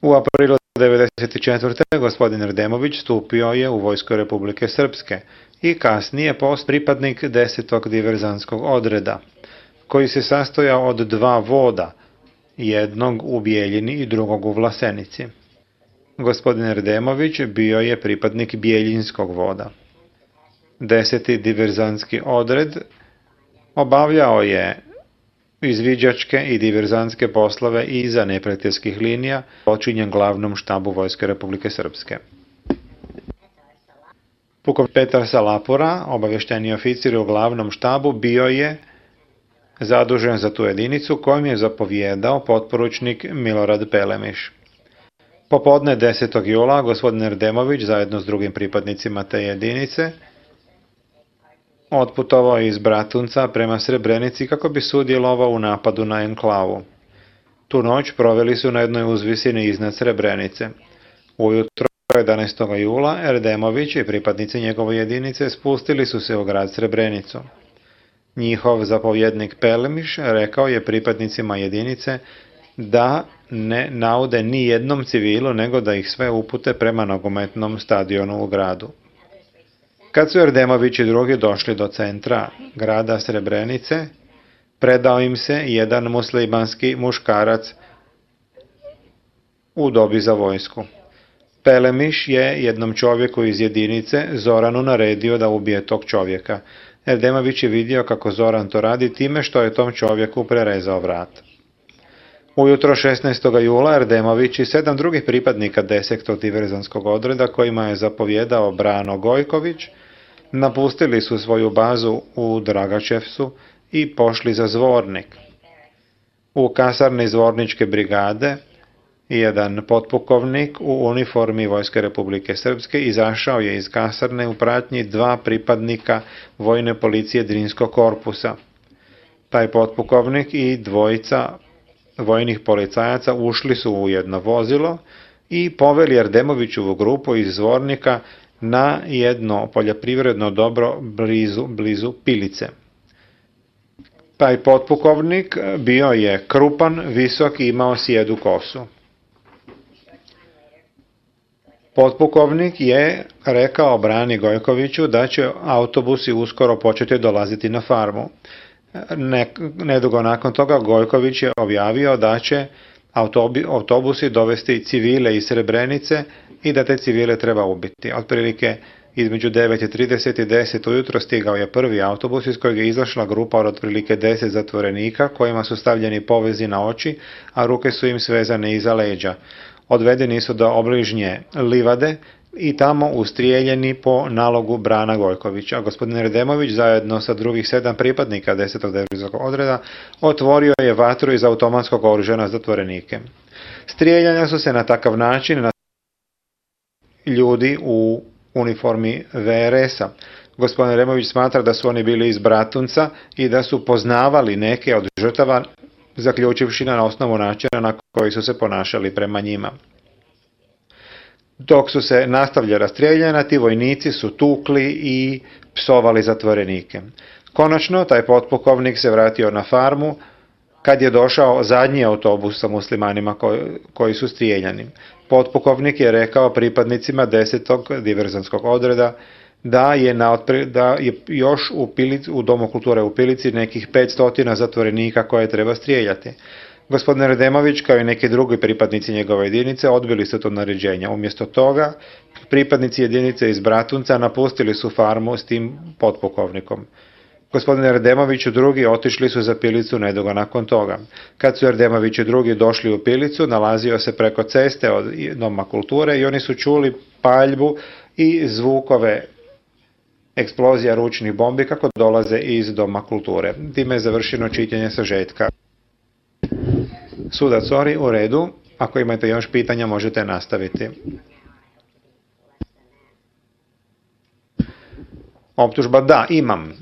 U aprilu 1994. gospodin Erdemović stupio je u vojsko Republike Srpske i kasnije post pripadnik 10. diverzantskog odreda, koji se sastojao od 2 voda, jednog u Bijeljini i drugog u Vlasenici. Gospodin Erdemović bio je pripadnik Bijeljinskog voda. 10. diverzantski odred obavljao je izviđačke i diverzantske poslove iza neprijateljskih linija, počinjen glavnom štabu Vojske Republike Srpske. Pukovnik Petar Salapura, obavješteni oficir u glavnom štabu, bio je zadužen za tu jedinicu kojom je zapovjedao potporučnik Milorad Pelemiš. Popodne 10. jula gospodin Erdemović zajedno s drugim pripadnicima te jedinice otputovao iz Bratunca prema Srebrenici kako bi sudjelovao u napadu na enklavu. Tu noć proveli su na jednoj uzvisini iznad Srebrenice. Ujutro 11. jula Erdemović i pripadnici njegove jedinice spustili su se u grad Srebrenicu. Njihov zapovjednik Pelemiš rekao je pripadnicima jedinice da ne naude ni jednom civilu, nego da ih sve upute prema nogometnom stadionu u gradu. Kad su Erdemović i drugi došli do centra grada Srebrenice, predao im se jedan muslimanski muškarac u dobi za vojsku. Pelemiš je jednom čovjeku iz jedinice, Zoranu, naredio da ubije tog čovjeka. Erdemović je vidio kako Zoran to radi time što je tom čovjeku prerezao vrat. Ujutro 16. jula Erdemović i 7 drugih pripadnika 10. diverzantskog odreda, kojima je zapovjedao Brano Gojković, napustili su svoju bazu u Dragačevcu i pošli za Zvornik. U kasarni Zvorničke brigade jedan potpukovnik u uniformi Vojske Republike Srpske izašao je iz kasarne u pratnji 2 pripadnika vojne policije Drinskog korpusa. Taj potpukovnik i 2 vojnih policajaca ušli su u jedno vozilo i poveli Erdemovićovu grupu iz Zvornika na jedno poljoprivredno dobro blizu Pilice. Taj potpukovnik bio je krupan, visok i imao sijedu kosu. Potpukovnik je rekao Brani Gojkoviću da će autobusi uskoro početi dolaziti na farmu. Nedugo nakon toga Gojković je objavio da će autobusi dovesti civile iz Srebrenice i da te civile treba ubiti. Otprilike između 9:30 i 10 ujutro stigao je prvi autobus iz kojeg je izašla grupa od otprilike 10 zatvorenika kojima su stavljeni povezi na oči, a ruke su im svezane iza leđa. Odvedeni su do obližnje livade i tamo ustrijeljeni po nalogu Brana Gojkovića. Gospodin Erdemović zajedno sa drugih 7 pripadnika 10. diverzantskog odreda otvorio je vatru iz automatskog oružja na zatvorenike. Strijeljanja su se na takav način na ljudi u uniformi VRS-a. Gospodin Erdemović smatra da su oni bili iz Bratunca i da su poznavali neke od žrtava, zaključivši na osnovu načina na koji su se ponašali prema njima. Dok su se nastavljala strijeljanja, ti vojnici su tukli i psovali zatvorenike. Konačno, taj potpukovnik se vratio na farmu kad je došao zadnji autobus sa muslimanima koji su strijeljani. Potpukovnik je rekao pripadnicima 10. diverzantskog odreda da je još u Domu kulture u Pilici nekih 500 zatvorenika koje treba strijeljati. Gospodin Erdemović kao i neki drugi pripadnici njegove jedinice odbili su to naređenje. Umjesto toga, pripadnici jedinice iz Bratunca napustili su farmu s tim potpukovnikom. Gospodin Erdemović i drugi otišli su za Pilicu nedugo nakon toga. Kad su Erdemović i drugi došli u Pilicu, nalazio se preko ceste od Doma kulture i oni su čuli paljbu i zvukove eksplozija ručnih bombi kako dolaze iz Doma kulture. Time je završeno čitanje sažetka. Sudac Ori, u redu. Ako imate još pitanja, možete nastaviti. Optužba, da, imam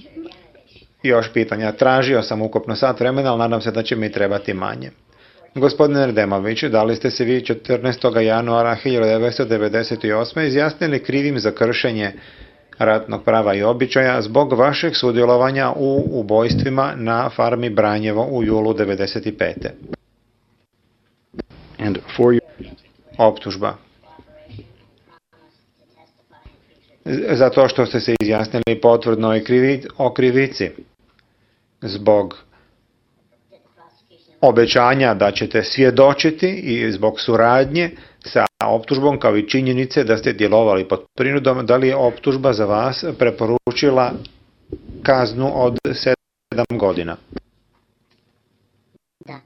još pitanja. Tražio sam ukupno sat vremena, ali nadam se da će mi trebati manje. Gospodine Erdemović, da li ste se vi 14. januara 1998. izjasnili krivim za kršenje ratnog prava i običaja zbog vašeg sudjelovanja u ubojstvima na farmi Branjevo u julu 1995. optužba. Zato što ste se izjasnili potvrdno o krivici. Zbog obećanja da ćete svjedočiti i zbog suradnje sa optužbom kao i činjenice da ste djelovali pod prinudom, da li je optužba za vas preporučila kaznu od 7 godina? Da.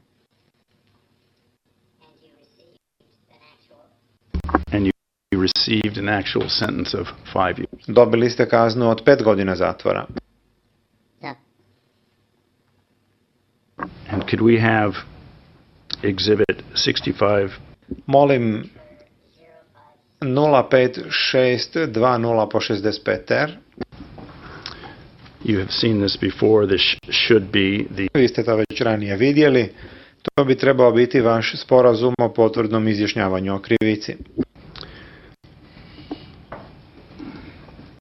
And you received an actual sentence of 5 years. Dobili ste kaznu od 5 godina zatvora. Da. And could we have exhibit 65? Molim 05620 po 65R. You have seen this before. This should be the Vi ste to već ranije vidjeli. To bi trebao biti vaš sporazum o potvrdnom izjašnjavanju o krivici.